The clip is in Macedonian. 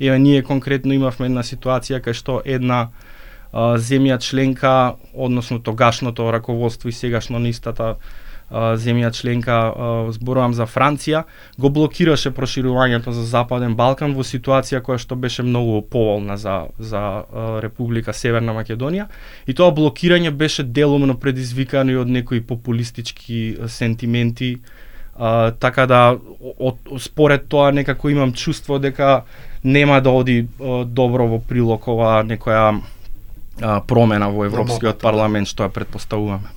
Еве ние конкретно имавме една ситуација кај што една земја членка, односно тогашното раководство и сегашно на истата земја членка, зборувам за Франција, го блокираше проширувањето за Западен Балкан во ситуација која што беше многу поволна за Република Северна Македонија, и тоа блокирање беше делумно предизвикано и од некои популистички сентименти, така да според тоа некако имам чувство дека нема да оди добро во прилог ова некоја промена во Европскиот парламент што ја претпоставуваме.